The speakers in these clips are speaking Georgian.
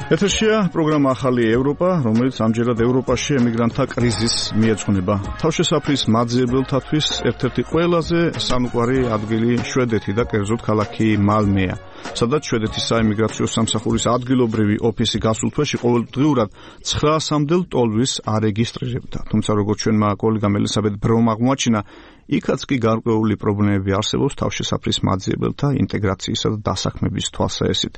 ეთერშია პროგრამა ახალი ევროპა, რომელიც ამჯერად ევროპაში ემიგრანტთა კრიზისს მიეძღვნება. თავშესაფრის მაძიებელთათვის ერთ-ერთი ყველაზე სამუყვარი ადგილი შვედეთი და კერძოდ ქალაქი მალმეა, სადაც შვედეთის საიმიგრაციო სამსახურის ადგილობრივი ოფისი გასულ თვეში ყოველდღიურად 900-მდე ტოლვის არეგისტრირებდა. თუმცა როგორც ჩვენმა კოლეგამ ელისაბედ ბრომ აღმოაჩინა, იქაც კი გარკვეული პრობლემები არსებობს თავშესაფრის მაძიებელთა ინტეგრაციისა და დასაქმების თვალსაჩინით.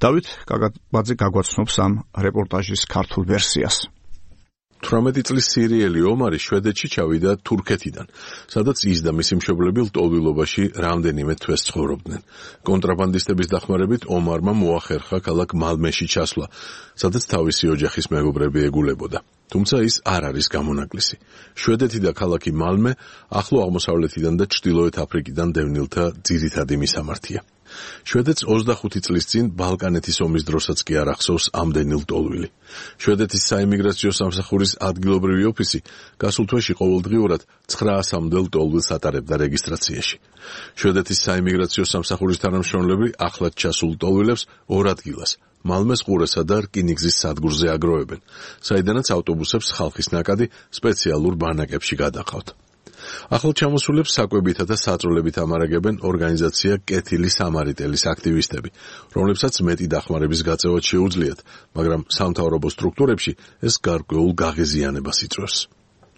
დავით კაკაბაძე გაგვაცნობს ამ რეპორტაჟის ქართულ ვერსიას. 18 წლის სირიელი ომარი შვედეთში ჩავიდა თურქეთიდან, სადაც ის და მისი მშობლები ლტოლვილობაში რამდენიმე თვეს ცხოვრობდნენ. კონტრაბანდისტების დახმარებით ომარმა მოახერხა ქალაქ მალმეში ჩასვლა, სადაც თავისი ოჯახის მეგობრები ეგულებოდა. თუმცა ის არ არის გამონაკლისი. შვედეთი და ქალაქი მალმე ახლო აღმოსავლეთიდან და ჩრდილოეთ აფრიკიდან დევნილთა ძირითადი მისამართია. შვედეთს 25 წლის წინ ბალკანეთის ომის დროსაც კი არ ახსოვს ამდენი ლტოლვილი. შვედეთის საიმიგრაციო სამსახურის ადგილობრივი ოფისი გასულ თვეში ყოველდღიურად 900-მდე ლტოლვილს ატარებდა რეგისტრაციაში. შვედეთის საიმიგრაციო სამსახურის თანამშრომლები ახლად ჩასულ ლტოლვილებს ორ ადგილას მალმეს ყურესა და რკინიგზის სადგურზე აგროვებენ, საიდანაც ავტობუსებს ხალხის ნაკადი სპეციალურ ბანაკებში გადაყავთ. ახლად ჩამოსულებს საკვებითა და საწოლებით ამარაგებენ ორგანიზაცია კეთილი სამარიტელის აქტივისტები, რომლებსაც მეტი დახმარების გაწევა შეუძლიათ, მაგრამ სამთავრობო სტრუქტურებში ეს გარკვეულ გაღიზიანებას იწვევს.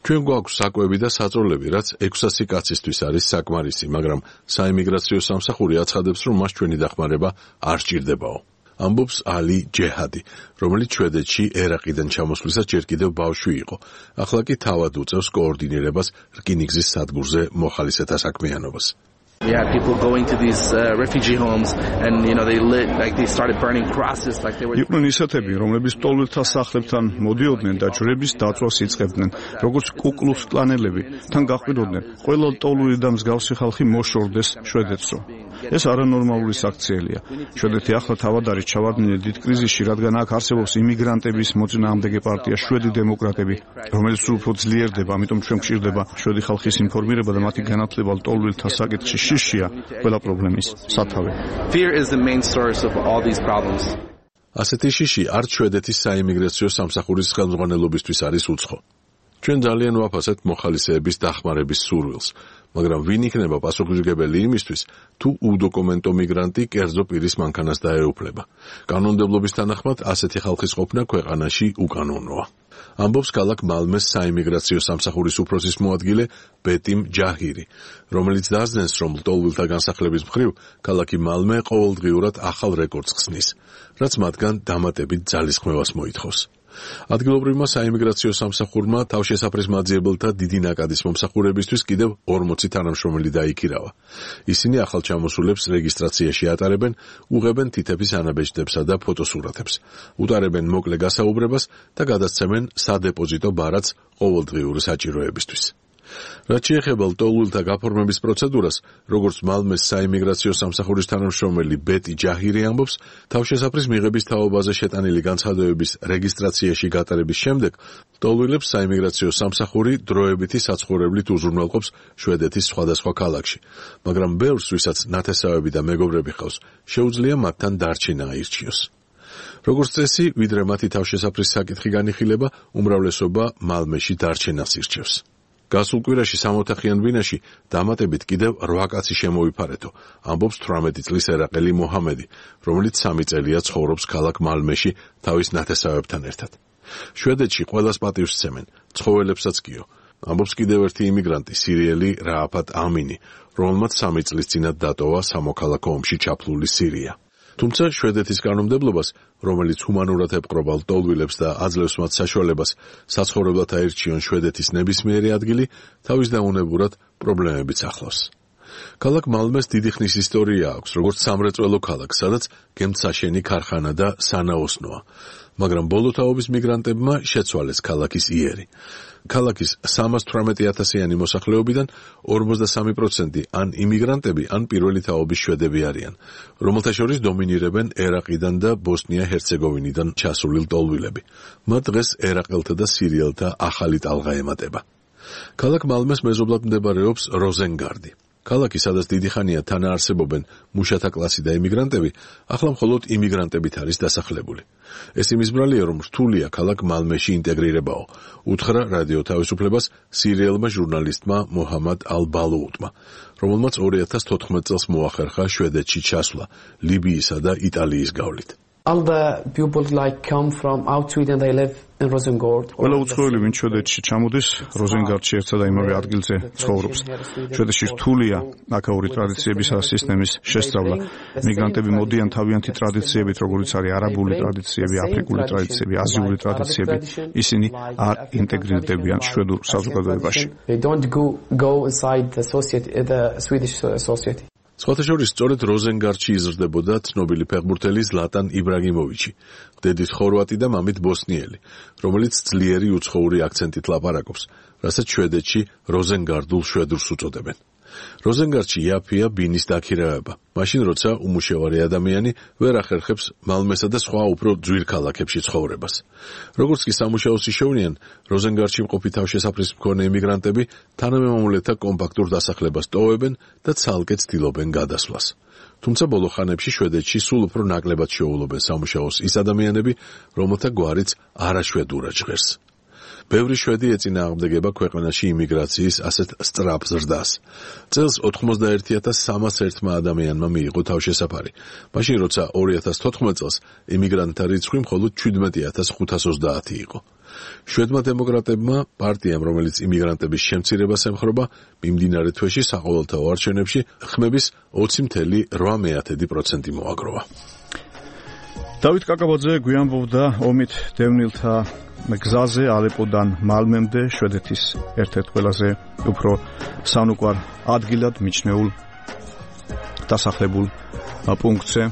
ჩვენ გვაქვს საკვები და საწოლები, რაც 600 კაცისთვის არის საკმარისი, მაგრამ საიმიგრაციო სამსახური აცხადებს, რომ მას ჩვენი დახმარება არ სჭირდებაო. ამბობს ალი ჯეჰადი, რომელიც შვედეთში ერაყიდან ჩამოსვლისას ჯერ კიდევ ბავშვი იყო. ახლა კი თავად უწევს координირებას რკინიგზის სადგურზე მოხალისეთა საქმიანობას. We had people going to these refugee homes and they lit they started burning crosses like they were. იყვნენ ისეთები, რომლებიც ლტოლვილთა სახლებთან მოდიოდნენ და ჯვრების დაწვას იწყებდნენ, როგორც კუკლუქს კლანელები, თან გაყვიროდნენ, ყველა ლტოლვილი და მსგავსი ხალხი მოშორდეს შვედეთსო. ეს არანორმალური საქციელია. შვედეთი ახლა თავად არის ჩავარდნილი დიდ კრიზისში, რადგან აქ არსებობს იმიგრანტების მოწინააღმდეგე პარტია შვედი დემოკრატები, რომელიც უფრო ძლიერდება, ამიტომ ჩვენ გვჭირდება შვედი ხალხის ინფორმირება და მათი განათლება ლტოლვილთა საკითხში. შიშია ყველა პრობლემის სათავე. Fear is the main source of all these problems. ასეთი შიში არც შვედეთის საიმიგრაციო სამსახურის ხელმძღვანელობისთვის არის უცხო. ჩვენ ძალიან ვაფასებთ მოხალისეების დახმარების სურვილს, მაგრამ ვინ იქნება პასუხისმგებელი იმისთვის, თუ უდოკუმენტო მიგრანტი კერძო პირის მანქანას დაეუფლება. კანონმდებლობის თანახმად ასეთი ხალხის ყოფნა ქვეყანაში უკანონოა. ამბობს ქალაქ მალმეს საიმიგრაციო სამსახურის უფროსის მოადგილე ბეტიმ ჯაჰირი, რომელიც დაძნეს, რომ ლტოლვილთა განსახლების მხრივ ქალაქი მალმე ყოველდღიურად ახალ რეკორდს ხსნის, რაც მათგან დამატებით ძალისხმევას მოითხოვს. ადგილობრივმა საიმიგრაციო სამსახურმა თავშესაფრის მაძიებელთა დიდი ნაკადის მომსახურებისთვის კიდევ 40 თანამშრომელი დაიქირავა. ისინი ახალ ჩამოსულებს რეგისტრაციაში ატარებენ, უღებენ თითების ანაბეჭდებსა და ფოტოსურათებს, უტარებენ მოკლე გასაუბრებას და გადასცემენ სადეპოზიტო ბარათს ყოველდღიური საჭიროებისთვის. რაც შეეხება ლტოლვილთა გაფორმების პროცედურას, როგორც მალმეს საიმიგრაციო სამსახურის თანამშრომელი ბეტი ჯაჰირი ამბობს, თავშესაფრის მიღების თაობაზე შეტანილი განცხადებების რეგისტრაციაში გატარების შემდეგ, ლტოლვილებს საიმიგრაციო სამსახური დროებითი საცხოვრებლით უზრუნველყოფს შვედეთის სხვადასხვა ქალაქში, მაგრამ ბევრს, ვისაც ნათესავები და მეგობრები ჰყავს, შეუძლია მათთან დარჩენა აირჩიოს. როგორც წესი, ვიდრე მათი თავშესაფრის საკითხი განიხილება, უმრავლესობა მალმეში დარჩენას ირჩევს. გასულ კვირაში სამოთახიან ბინაში დამატებით კიდევ 8 კაცი შემოიფარეთო, ამბობს 18 წლის ერაყელი მოჰამედი, რომელიც 3 წელია ცხოვრობს ქალაქ მალმეში თავის ნათესავებთან ერთად. შვედეთში ყველას პატივს სცემენ, ცხოველებსაც კიო, ამბობს კიდევ ერთი იმიგრანტი, სირიელი რააფატ ამინი, რომელმაც 3 წლის წინათ დატოვა სამოქალაქო ომში ჩაფლული სირია. თუმცა შვედეთის კანონმდებლობას, რომელიც ჰუმანურად ებყრობა ლტოლვილებს და აძლევს მათ საშუალებას საცხოვრებლად აირჩიონ შვედეთის ნებისმიერი ადგილი, თავის დაუნებურად პრობლემებიც ახლავს. ქალაქ მალმეს დიდი ხნის ისტორია აქვს, როგორც სამრეწველო ქალაქს, სადაც გემთსაშენი ქარხანა და სანაოსნოა, მაგრამ ბოლო თაობის მიგრანტებმა შეცვალეს ქალაქის იერი. ქალაქის 318,000-იანი მოსახლეობიდან 43% ან იმიგრანტები, ან პირველი თაობის შვედები არიან, რომელთა შორის დომინირებენ ერაყიდან და ბოსნია-ჰერცეგოვინიდან ჩასული ლტოლვილები. მათ დღეს ერაყელთა და სირიელთა ახალი ტალღა ემატება. ქალაქ მალმეს მეზობლად მდებარეობს როზენგარდი. ქალაქი, სადაც დიდი ხანია თან არსებობენ მუშათა კლასი და ემიგრანტები, ახლა მხოლოდ იმიგრანტებით არის დასახლებული. ეს იმის ბრალია, რომ რთულია ქალაქ მალმეში ინტეგრირებაო, უთხრა რადიო თავისუფლებას სირიელმა ჟურნალისტმა მოჰამად ალ-ბალუუტმა, რომელმაც 2014 წელს მოახერხა შვედეთში ჩასვლა ლიბიისა და იტალიის გავლით. All the people come from out Sweden, they live in Rosengård. ყველა უცხოელი, ვინც შვედეთში ჩამოდის, როზენგარდში ერთსა და იმავე ადგილზე ცხოვრობს. შვედეთში რთულია აქაური ტრადიციების სისტემის შესწავლა. მიგრანტები მოდიან თავიანთი ტრადიციებით, როგორიც არის არაბული ტრადიციები, აფრიკული ტრადიციები, აზიული ტრადიციები. ისინი არ ინტეგრირდებიან შვედურ საზოგადოებაში. They don't go inside the society, the Swedish society. სხვათა შორის, სწორედ როზენგარდში იზრდებოდა ცნობილი ფეხბურთელი ზლატან იბრაგიმოვიჩი, დედით ხორვატი და მამით ბოსნიელი, რომელიც ძლიერი უცხოური აქცენტით ლაპარაკობს, რასაც შვედეთში როზენგარდულ შვედურს უწოდებენ. როზენგარდში იაფია ბინის დაქირავება, მაშინ როცა უმუშევარი ადამიანი ვერ ახერხებს მალმესა და სხვა უფრო ძვირ ქალაქებში ცხოვრებას. როგორც კი სამუშაოს იშოვნიან, როზენგარდში მყოფი თავშესაფრის მქონე ემიგრანტები თანამემამულეთა კომპაქტურ დასახლებას ტოვებენ და ცალკე ცდილობენ გადასვლას. თუმცა ბოლო ხანებში შვედეთში სულ უფრო ნაკლებად შეუვლობენ სამუშაოს ის ადამიანები, რომელთა გვარიც არაშვედურად ჟღერს. ბევრი შვედი ეწინააღმდეგება ქვეყანაში იმიგრაციის ასეთ სწრაფ ზრდას. წელს 91,301 ადამიანმა მიიღო თავშესაფარი, მაშინ როცა 2014 წელს იმიგრანტთა რიცხვი მხოლოდ 17,530 იყო. შვედმა დემოკრატებმა პარტიამ, რომელიც იმიგრანტების შემცირებას ემხრობა, მიმდინარე თვეში საყოველთაო არჩევნებში ხმების 20,8% მოაგროვა. დავით კაკაბაძე გვიანბობდა ომით დევნილთა გზაზე ალეპოდან მალმემდე, შვედეთის ერთ-ერთ ყველაზე უფრო სანუკვარ ადგილად მიჩნეულ დასახლებულ პუნქტზე.